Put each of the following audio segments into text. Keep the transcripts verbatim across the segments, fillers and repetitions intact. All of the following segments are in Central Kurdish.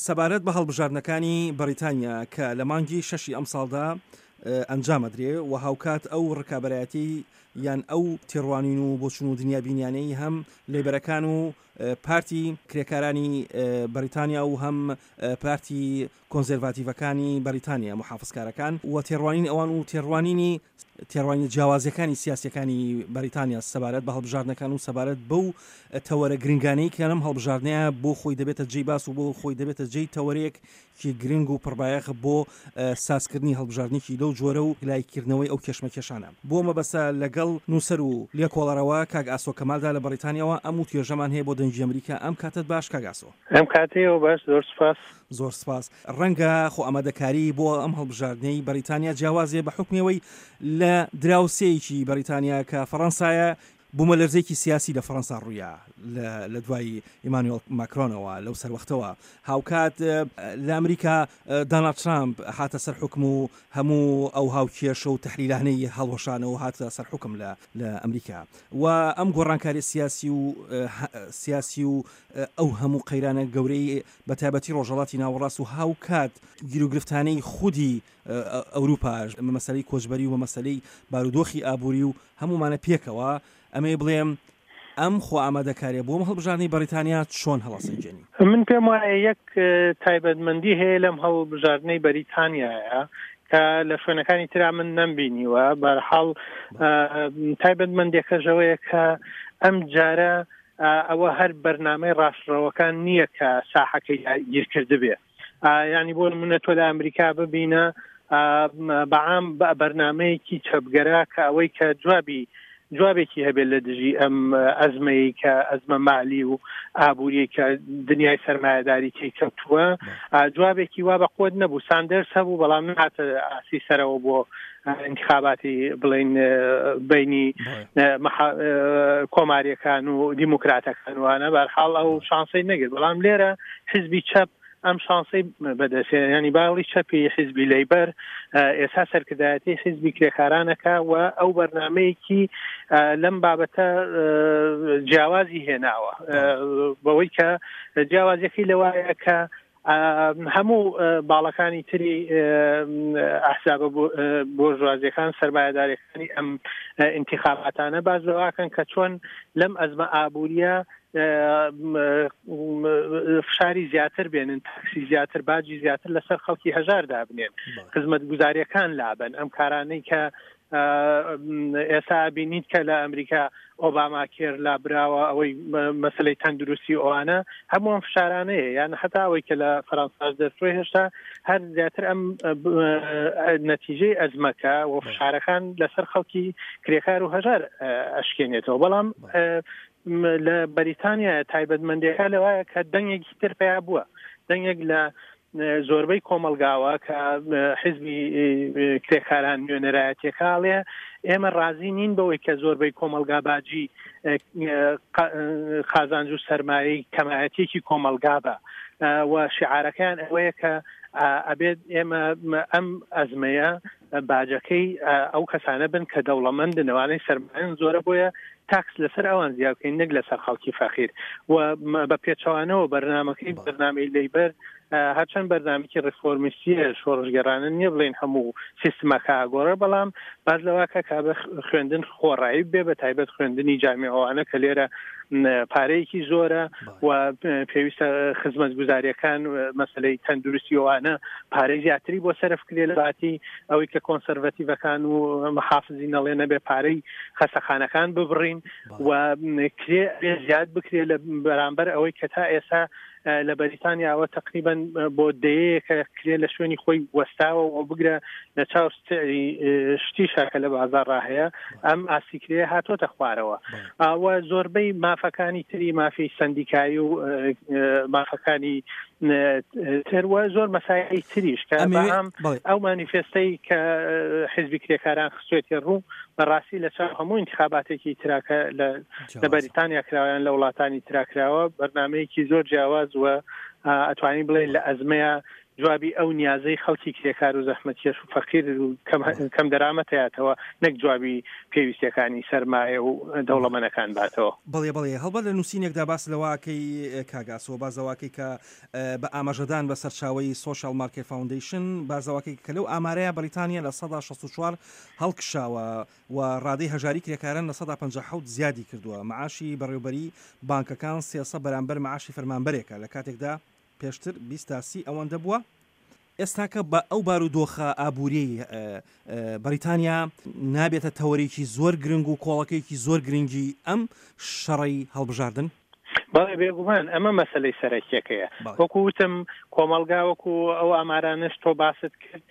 سەبارەت بە هەڵبژاردنەکانی بەریتانیا کە لە مانگی شەشی ئەمساڵدا ئەنجامەدرێ و هاوکات ئەو ڕکابەرایەتی یان ئەو تێڕوانین و بۆچون و دنیابینیانەی هەم لەیبەرەکان و پارتی کرێکارانی بەریتانیا و هەم پارتی کۆنزەرڤاتیڤەکانی بەریتانیا محافزکارەکان و تێڕوانین ئەوان و تێڕوانینی تێڕوانینە جیاوازیەکانی سیاسیەکانی بەریتانیا سەبارەت بە هەڵبژاردنەکان و سەبارەت بەو تەوەرە گرنگانەی کە لەم هەڵبژاردنەیە بۆ خۆی دەبێتە جێی باس و بۆ خۆی دەبێتە جێی تەوەرەیەکی گرنگ و پڕبایەخ بۆ سازکردنی هەڵبژاردنێکی لەو جۆرە و لایکردنەوەی ئەو کێشمەکێشانە. بۆ مەبەستە لەگەڵ نووسەر و لێکۆڵەرەوە کاک ئاسۆ کەمالدا لە بەریتانیاوە ئەم و توێژەمان هەیە بۆ دەنگی ئەمریکا. ئەم کاتت باش کاک ئاسۆ. ئەم کاتەیەوە باش، زۆر سپاس. زۆر سپاس. ڕەنگە خۆ ئامادەکاری بۆ ئەم هەڵبژاردنەی بەریتانیا جیاوازێ بە حکمەوەی لە دراوسێیەکی بەریتانیا کە فەڕەنسایە بوومەلەرزێکی سیاسی لە فەڕەنسا ڕوویا لە دوای ئیمانوێل ماکرۆنەوە لەو سەروەختەوە. هاوکات لە ئەمریکا داناڵد ترامپ هاتە سەر حکم و هەموو ئەو هاوکێشە و تەحلیلانەی هەڵوەشانەوە هاتە سەر حکم لە لە ئەمریکا و ئەم گۆڕانکاری سیاسی و سیاسی و ئەو هەموو قەیرانە گەورەی بە تایبەتی ڕۆژهەڵاتی ناوەڕاست و هاوکات گیروگرفتانەی خودی ئەوروپاش مەسەلەی کۆچبەری و مەسەلەی بارودۆخی ئابووری و هەمومانە پێکەوە، ئەمەی بڵێم ئەم خۆ ئامادەکاریە بۆم هەڵبژاردنی بەریتانیا چۆن هەڵەسەنگێنی؟ من پێم وایە یەک تایبەتمەندی هەیە لەم هەڵبژاردنەی بەریتانیایە کە لە شوێنەکانی ترا من نەمبینیوە. بەرحاڵ تایبەتمەندێکەشەوەیە کە ئەم جارە ئەوە هەر بەرنامەی ڕاستڕەوەکان نییە کە ساحەکەی گیرکردبێ. یعنی بۆ نمونە تۆ لە ئەمریکا ببینە بەعام بەرنامەیەکی چەپگەرا کە ئەوەی کە جوابی جوابێکی هەبێت لە دژی ئەم ئەزمەی کە ئەزمە مالی و ئابووریە کە دنیای سەرمایەداری تێی کەوتووە، جوابێکی وا بە قوت نەبوو. ساندەرس هەبوو بەڵام نهاتە ئاسی سەرەوە بۆ انتخاباتی بڵین بینی کۆماریەکان و دیموکراتەکان وانە، بەرحاڵ ئەو شانسەی نەگرت. بەڵام لێرە حزبی چەپ ئەم شانسەی بەدەستێ، ینی باڵی چەپی حزبی لەیبەر ئێستا سەرکردایەتی حزبی کرێکارانەکە و ئەو بەرنامەیەکی لەم بابەتە جیاوازی هێناوە، بەوەی کە جیاوازیەکەی لەوایە کە هەموو باڵەکانی تری ئەحزابە بۆرژوازیەکان سەرمایەداریەکانی ئەم ئینتیخاباتانە باز لەواکەن کە چۆن لەم ئەزمە ئابووریە فشاری زیاتر بێنن، تاکسی زیاتر، باجی زیاتر لەسەر خەڵکی هەژار دابنێن، خزمەتگوزاریەکان لابن. ئەم کارانەی کە ئێستا بینیت کە لە ئەمریکا ئۆباما کێر لابراوە، ئەوەی مەسلەی تەندروستی ئەوانە هەموو ئەم فشارانەیە. یان حتا ئەوەی کە لە فەرەنساش دەرچووە هێشتا هەر زیاتر ئەم نەتیجەی ئەزمەکە و فشارەکان لەسەر خەڵکی کرێکار و هەژار ئەشکێنێتەوە. بەڵام لە بەریتانیا تایبەتمەندیەکە لەوایە کە دەنگێکی تر پەیا بووە، دەنگێک لە زۆربەی کۆمەلگاوە کە حزبی کرێکاران نوێنەرایەتیەکەڵێ ئێمە ڕازی نین بەوەی کە زۆربەی کۆمەلگا باجی قازانج و سەرمایەی کەمایەتێکی کۆمەلگا بە، و شعارەکەیان ئەوەیە کە ئەبێت ئێمە ئەم ئەزمەیە باجەکەی ئەو کەسانە بن کە دەوڵەمەندن، ئەوانەی سەرمایەن زۆرە، بۆیە تاکس لەسەر ئەوان زیاد بکەین نەک لەسەر خەڵکی فەقیر. و بە پێچەوانەوە بەرنامەکەی بەرنامەی لەیبەر هەرچەند بەرنامەیەکی ڕیفۆرمیستیە شۆڕشگێڕانە نییە بڵێن هەموو سیستمەکە ئاگۆڕە، بەڵام باز لەواکە کە بە خوێندن خۆڕایی بێ، بە تایبەت خوێندنی جامیعەوانە کە لێرە پارەیەکی زۆرە و پێویستە خزمەتگوزاریەکان مەسلەی تەندروستی ئەوانە پارەی زیاتری بۆ سەرف کرێ لە باتی ئەوەی کە کۆنسەرڤەتیڤەکان و محافزی نەڵێ نەبێ پارەی خەسەخانەکان ببڕین و کرێ زیاد بکرێ لە بەرامبەر ئەوەی کە تا ئێستا لە بەریتانیاوە تقریبا بۆ دەیەیەکە کرێ لە شوێنی خۆی وەستاوە و بگرە لە چاو سعری شتیشا کە لە بازاڕا هەیە ئەم ئاستی کرێ هاتۆتە خوارەوە. و زۆربەی مافەکانی تری، مافی سندیکایی و مافەکانی تر و زۆر مەسایلی تریش کە بەهام ئەو مانیفێستەی کە حزبی کرێکاران خستوێتی ڕوو بەڕاستی لە چاو هەموو انتخاباتێکی تراکە لە بەریتانیا کراوەیان لە وڵاتانی تراکراوە بەرنامەیەکی زۆر جیاواز و ئەتوانین بڵێن لە ئەزمەیە جوابی ئەو نیازەی خەڵکی کرێکار و زەحمەتکێش و فەقیر و کەم دەرامەتەیاتەوە، نەک جوابی پێویستیەکانی سەرمایە و دەوڵەمەنەکان باتەوە. بەڵێ بەڵێ، هەڵبەت لە نووسینێکدا باس لەوەکەی کاک ئاسۆ، باس لەوەکەی کە بە ئاماژەدان بە سەرچاوەی Social Market Foundation، باس لەوەکەی کە لەو ئامارەیە بەریتانیا لە سەدا شەست و چوار هەڵکشاوە و ڕادەی هەژاری کرێکاران لە سەدا پەنجا و حەوت زیادی کردووە. معاشی بەڕێوبەری بانکەکان سێسە بەرامبەر معاشی فەرمانبەرێکە، لە کاتێکدا پێشتر بیست تا سی ئەوەندە بووە. ئێستاکە بە ئەو بارودۆخە ئابووریەی بەریتانیا نابێتە تەوەرێکی زۆر گرنگ و کۆڵەکەیەکی زۆر گرنگی ئەم شەڕەی هەڵبژاردن؟ بەڵێ بێگومان ئەمە مەسلەی سەرەکیەکەیە. وەکو وتم کۆمەڵگا وەکو ئەو ئامارانەش تۆ باست کرد،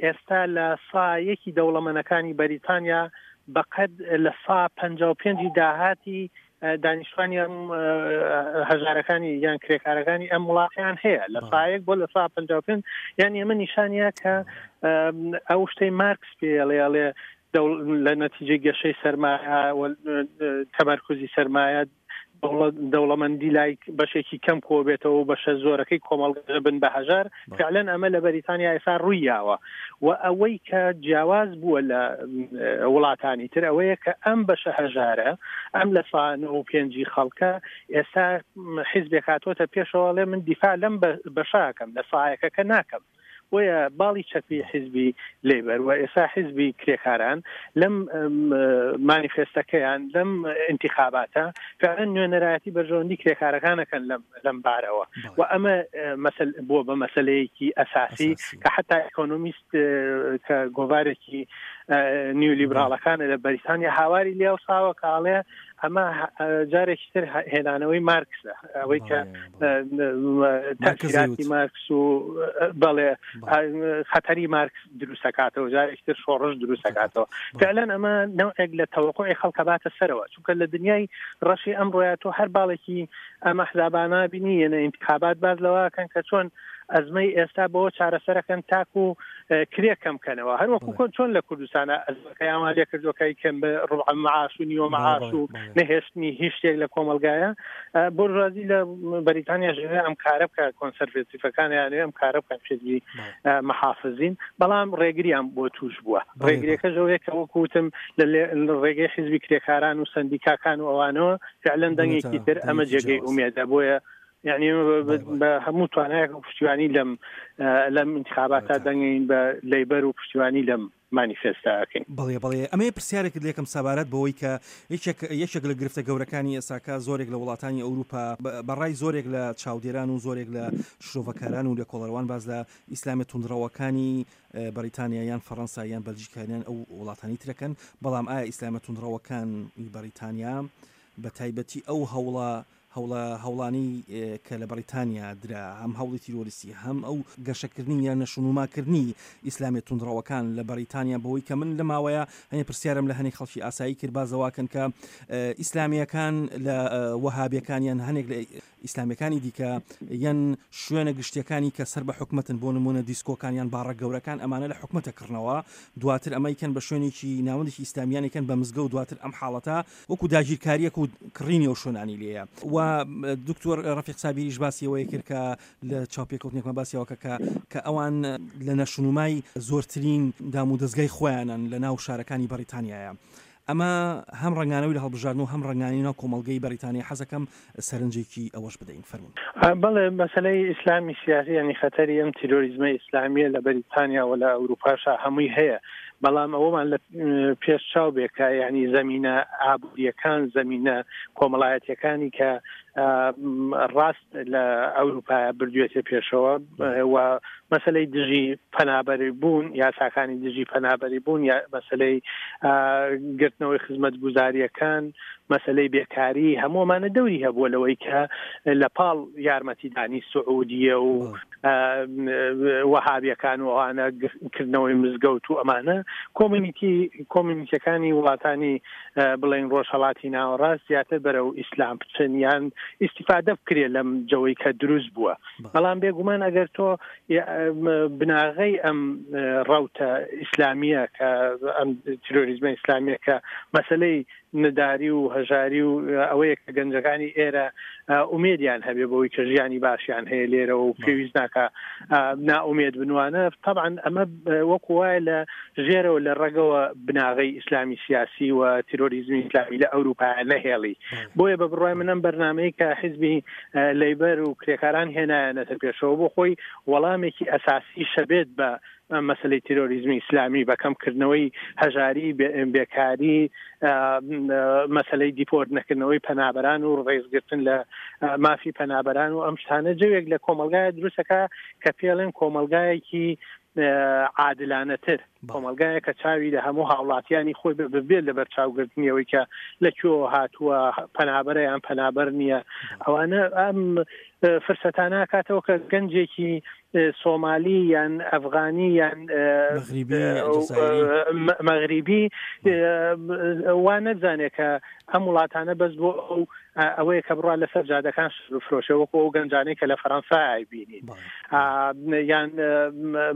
ئێستا لە سا یەکی دەوڵەمەنەکانی بەریتانیا بەقەد لە سا پەنجا و پێنجی داهاتی دانیشتوانی ئەم هەژارەکانی یان کرێکارەکانی ئەم وڵاتیان هەیە، لە سایەک بۆ لە سا پەنجا و پێنج. یان ئەمە نیشانیە کە ئەو شتەی مارکس پێڵێ ئەڵێ لە نەتیجەی گەشەی سەرمایە و تەمەرکوزی سەرمایە دەوڵەمەندی لای بەشێکی کەم کۆبێتەوە و بەشە زۆرەکەی کۆمەڵگە بن بە هەژار. فعلەن ئەمە لە بەریتانیا ئێستا ڕووی یاوە و ئەوەی کە جیاواز بووە لە وڵاتانی تر ئەوەیە کە ئەم بەشە هەژارە، ئەم لە سا نۆ و پێنجی خەڵکە ئێستا حیزبێک هاتۆتە پێشەوە ئەڵێ من دیفاع لەم بەشاکەم، لە سایەکەکە ناکەم. بۆیە باڵی چەپی حیزبی لەیبەر و ئێستا حیزبی کرێکاران لەم مانیفێستەکەیان لەم ئینتیخاباتە فعلا نوێنەرایەتی بەرژەوەندی کرێکارەکانەکەن لەم بارەوە. و ئەمە بووە بە مەسلەیەکی ئەساسی کە حتا ئیکۆنۆمیست کە گۆڤارێکی نیولیبراڵەکانە لە بەریتانیا هاواری لێوساوە کاڵێ ئەمە جارێکی تر هێنانەوەی مارکسە، ئەوەی کە تەئسیراتی مارکس و بەڵێ خەتەری مارکس دروستەکاتەوە، جارێکی تر شۆڕش دروستەکاتەوە. فعلا ئەمە نەوعێک لە تەوەقعی خەڵکە باتە سەرەوە، چونکە لە دنیای ڕەشی ئەمڕۆیە تۆ هەر باڵێکی ئەمە حزابانە بینی یەنە ئینتخابات باز لەوەکەن کە چۆن ئەزمەی ئێستا بەوە چارەسەرەکەن تاکو کرێ کەم کەنەوە. هەروەکو کۆن چۆن لە کوردستانە ئەزمەکەیان لێ کردووەکەی کەم بە ڕبع معاش و نیوە معاش و نەهێشتنی هیچ شتێک لە کۆمەڵگایە. بۆرژوازی لە بەریتانیا ژێ ئەم کارە بکە، کۆنسەرڤاتیڤەکانیان ئەم کارە بکەن، حیزبی محافزین، بەڵام ڕێگریان بۆ توش بووە. ڕێگریەکە ژەوەیە کە وەکو وتم لە ڕێگەی حیزبی کرێکاران و سەندیکاکان و ئەوانەوە فعلا دەنگێکی تر ئەمە جێگەی ئومێدە. بۆیە یعنی بە هەموو توانایەک پشتیوانی لەم لەم ئینتخاباتە دەنگین بە لەیبەر و پشتیوانی لەم مانیفێستاکەین. بەڵێ بەڵێ، ئەمەیە پرسیارێکت لێکم سەبارەت بەوەی کە یەکێک لە گرفتە گەورەکانی ئێساکە زۆرێک لە وڵاتانی ئەوروپا بەڕای زۆرێک لە چاودێران و زۆرێک لە شرۆڤەکاران و لێکۆڵەروان باز لە ئیسلامی توندڕەوەکانی بەریتانیا یان فەڕەنسا یان بەلجیکا یان ئەو وڵاتانی ترەکەن، بەڵام ئایا ئیسلامە توندڕەوەکانی بەریتانیا بە تایبەتی ئەو هەوڵە هەوڵە هەوڵانی کە لە بەریتانیا درا، هەم هەوڵی تیرۆریستی هەم ئەو گەشەکردنی یان نەشونوماکردنی ئیسلامی توندڕەوەکان لە بەریتانیا، بەوەی کە من لە ماوەیە هەنێ پرسیارم لە هەنێک خەڵکی ئاسایی کرد بازەواکەن کە ئیسلامیەکان لە وەهابیەکان یان هەنێک لە ئیسلامیەکانی دیکە یان شوێنە گشتیەکانی کە سەر بە حکومەتن، بۆ نمونە دیسکۆکان یان باڕە گەورەکان، ئەمانە لە حکومەتە کڕنەوە، دواتر ئەمەیکەن بە شوێنێکی ناوەندێکی ئیسلامیانێکن بە مزگەوت، دواتر ئەم حاڵەتە وەکو داگیرکاریەک و کڕینی ئەو شوێنانی لێیە. و دکتۆر ڕەفیق سابیریش باسی ئەوەی کرد کە لە چاوپێکەوتنێکمان باسی ئەوە کە کە ئەوان لە نەشونومای زۆرترین دام و دەستگای خۆیانن لە ناو شارەکانی بەریتانیایە. ئەمە هەم ڕەنگانەوەی لە هەڵبژاردن و هەم ڕەنگانی ناو کۆمەڵگەی بەریتانیا. حەزەکەم سەرنجێکی ئەوەش بدەین، فەرموون. بەڵێ، مەسەلەی ئیسلامی سیاسی یعنی خەتەری ئەم تیرۆریزمە ئیسلامیە لە بەریتانیا و لە ئەوروپاشا هەمووی هەیە، بەڵام ئەوەمان لە پێش چاو بێ کە یعنی زەمینە ئابووریەکان، زەمینە کۆمەڵایەتیەکانی کە ڕاست لە ئەوروپا بردوێتە پێشەوە و مەسلەی دژی پەنابەری بوون، یاساکانی دژی پەنابەری بوون، یا مەسلەی گرتنەوەی خزمەتگوزاریەکان، مەسلەی بێکاری، هەموومانە دەوری هەبووە لەوەی کە لە پاڵ یارمەتیدانی سعودیە و وەهابیەکان و ئەوانە کردنەوەی مزگەوت و ئەمانە کۆمیونیتی کۆمیونیتیەکانی وڵاتانی بڵێن ڕۆژهەڵاتی ناوەڕاست زیاتر بەرەو ئیسلام بچن یان ئیستیفادە بکرێت لەم جەوەی کە دروست بووە. بەڵام بێگومان ئەگەر تۆ بناغەی ئەم ڕەوتە ئیسلامیە کە ئەم تیرۆریزمە ئیسلامیە کە مەسلەی نەداری و هەژاری و ئەوەیە کە گەنجەکانی ئێرە ئومێدیان هەبێ بۆی کە ژیانی باشیان هەیە لێرە و پێویست ناکە نائومێد بنوانە. طبعا ئەمە وەکو وایە لە ژێرەوە لە ڕەگەوە بناغەی ئیسلامی سیاسی و تیرۆریزمی ئیسلامی لە ئەوروپا نەهێڵی. بۆیە بە بڕوای منم بەرنامەی کە حیزبی لەیبەر و کرێکاران هێنایانەتە پێشەوە بۆ خۆی وەڵامێکی ئەساسی شەبێت بە مەسلەی تیرۆریزمی ئیسلامی، بە کەمکردنەوەی هەژاری، بێکاری، مەسلەی دیپۆرت نەکردنەوەی پەنابەران و ڕێزگرتن لە مافی پەنابەران و ئەم شتانە جەوێک لە کۆمەلگایە دروستەکە کە پێڵێن کۆمەلگایەکی عادلانەتر، کۆمەلگایە کە چاوی لە هەموو هاوڵاتیانی خۆی ببێت لە بەرچاوگرتنیەوەی کە لە کوێوە هاتووە، پەنابەرە یان پەنابەر نییە. ئەوانە ئەم فرسەتانە کاتەوە کە گەنجێکی سۆمالی یان ئەفغانی یان مەغریبی وا نەزانێت کە ئەم وڵاتانە بەس بۆ ئەو ئەوەیە کە بڕوا لەسەر جادەکان بفرۆشێ وەکو ئەو گەنجانەی کە لە فەرەنسا ئایبینین، یان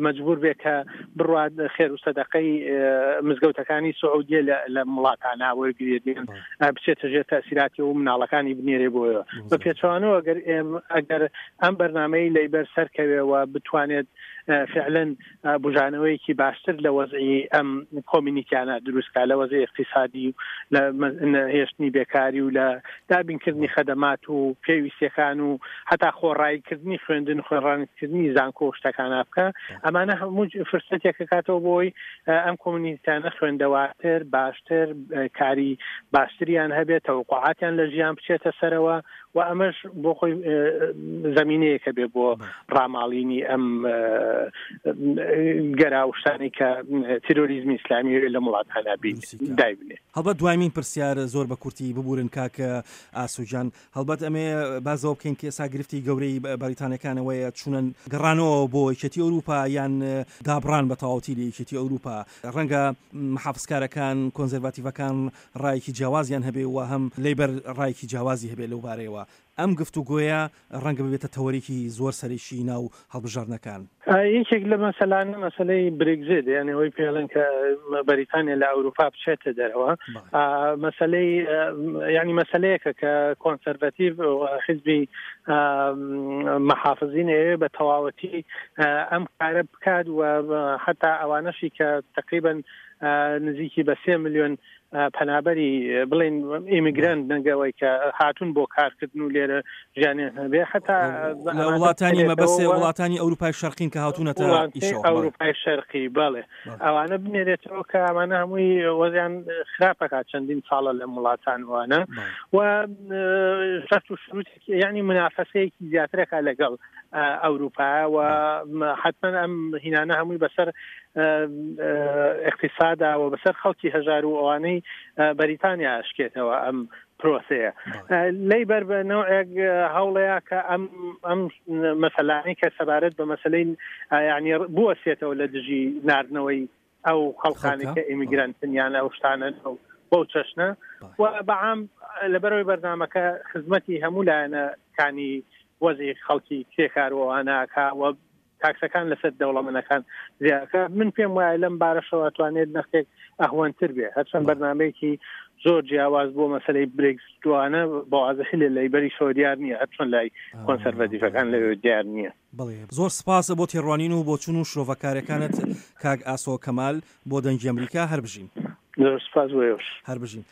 مەجبور بێ کە بڕوات خێر و سەدەقەی مزگەوتەکانی سعودیە لە وڵاتانە وەرگێت، بچێتە ژێر تەسیراتی و مناڵەکانی بنێرێ بۆیە. بە پێچەوانەوە ئەگەر ئەگەر ئەم بەرنامەی لەیبەر سەرکەوێەوە بتوانێت فعلا بژانەوەیەکی باشتر لە وەزعی ئەم کۆمیونیتیانە دروستکا، لە وەزعی اقتصادی و لە هێشتنی بێکاری و لە دابینکردنی خەدەمات و پێویستیەکان و هەتا خۆڕاییکردنی خوێندن، خوێنڕانکردنی زانکۆ و شتەکانە بکە. ئەمانە هەموو فرسەتێکە کاتەوە بۆی ئەم کۆمیونیتیانە خوێندەواتر، باشتر، کاری باشتریان هەبێت، تەوقعاتیان لە ژیان بچێتە سەرەوە و ئەمەش بۆ خۆی زمینەیەکە بێ بۆ ڕاماڵینی ئەم گەراوشتانی کە تیرۆریزمی ئیسلامی لە وڵاتانە دایبنێ. هەڵبەت دوایمین پرسیار زۆر بە کورتی ببورن کاک ئاسۆجان، هەڵبەت ئەمێ بازەوە بکەین کە ئێستا گرفتی گەورەی بەریتانیەکانەوەیە چوونن گەڕانەوە بۆ یەکێتی ئەوروپا یان دابڕان بە تەواوەتی لە یەکێتی ئەوروپا. ڕەنگە محافزکارەکان، کۆنزەرڤاتیڤەکان ڕایەکی جیاوازیان هەبێ و هەم لەیبەر ڕایەکی جیاوازی هەبێ لەو بارەیەوە. ئەم گفتوگۆیە ڕەنگە ببێتە تەوەرێکی زۆر سەرەکی ناو هەڵبژاردنەکان. یەکێک لە مەسەلانە مەسەلەی برێگزیت، یعنی ئەوەی پێڵێن کە بەریتانیا لە ئەوروپا بچێتە دەرەوە، مەسەلەی یعنی مەسەلەیەکە کە کۆنسەرڤاتیڤ و حیزبی محافزین ئەوێ بە تەواوەتی ئەم کارە بکات و حتا ئەوانەشی کە تقریبا نزیکی بە سێ ملیۆن پەنابەری بڵێن ئیمیگرانت نەگەوەی کە هاتوون بۆ کارکردن و لێرە ژیانیان هەبێ، حتا لە وڵاتانی مەبەسێ وڵاتانی ئەوروپای شەرقین کە هاتوونەتە ئەوروپای شەرقی، بەڵێ ئەوانە بنێرێتەوە کە ئەمانە هەمووی وەزیان خراپەکات چەندین ساڵە لە وڵاتان وانە و شەرت و شروط یعنی منافەسەیەکی زیاترەکە لەگەڵ ئەوروپا و حتما ئەم هینانە هەمووی بەسەر اقتصادا و بەسەر خەڵکی هەژار و ئەوانەی بەریتانیا ئەشکێتەوە ئەم پرۆسەیە. لەیبەر بە نەوعێک هەوڵەیە کە ئەم ئەم مەسەلانەی کە سەبارەت بە مەسەلەی یعنی بوەسێتەوە لە دژی ناردنەوەی ئەو خەڵکانی کە ئیمیگرانتن یان ئەو شتانە بەو چەشنە و بەعام لەبەرەوەی بەرنامەکە خزمەتی هەموو لایەنەکانی وەزی خەڵکی کرێکار و ئەوانەکە و تاکسەکان لەسەر دەوڵەمەنەکان زیاکە. من پێم وایە لەم بارەشەوە توانێت نەختێک ئەهوەنتر بێ، هەرچەند بەرنامەیەکی زۆر جیاواز بۆ مەسەلەی برێکزیتوانە بە وازحی لە لەیبەریشەوە دیار نییە، هەرچۆن لای کۆنسەرڤاتیڤەکان لەوێ دیار نییە. بەڵێ زۆر سپاسە بۆ تێڕوانین و بۆچوون و شرۆڤەکارەکانت کاک ئاسۆ کەمال بۆ دەنگی ئەمریکا. هەر بژین. زۆر سپاس بۆ ئێوەش. هەر بژین.